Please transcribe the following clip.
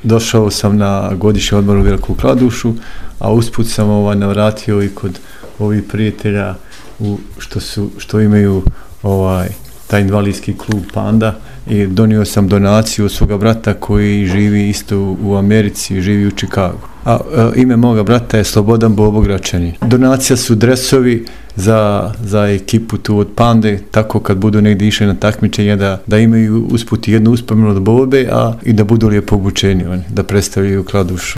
došao sam na godišnji odmor u Veliku Kladušu, a usput sam navratio i kod ovih prijatelja što imaju taj invalidski klub Panda i donio sam donaciju od svoga brata koji živi isto u Americi, živi u Chicagu. Ime moga brata je Slobodan Bobogračanin. Donacija su dresovi za ekipu tu od Pande, tako kad budu negdje išli na takmičenje da imaju usput jednu uspomenu od Bobe, i da budu lijepo obučeni, da predstavljaju Kladušu.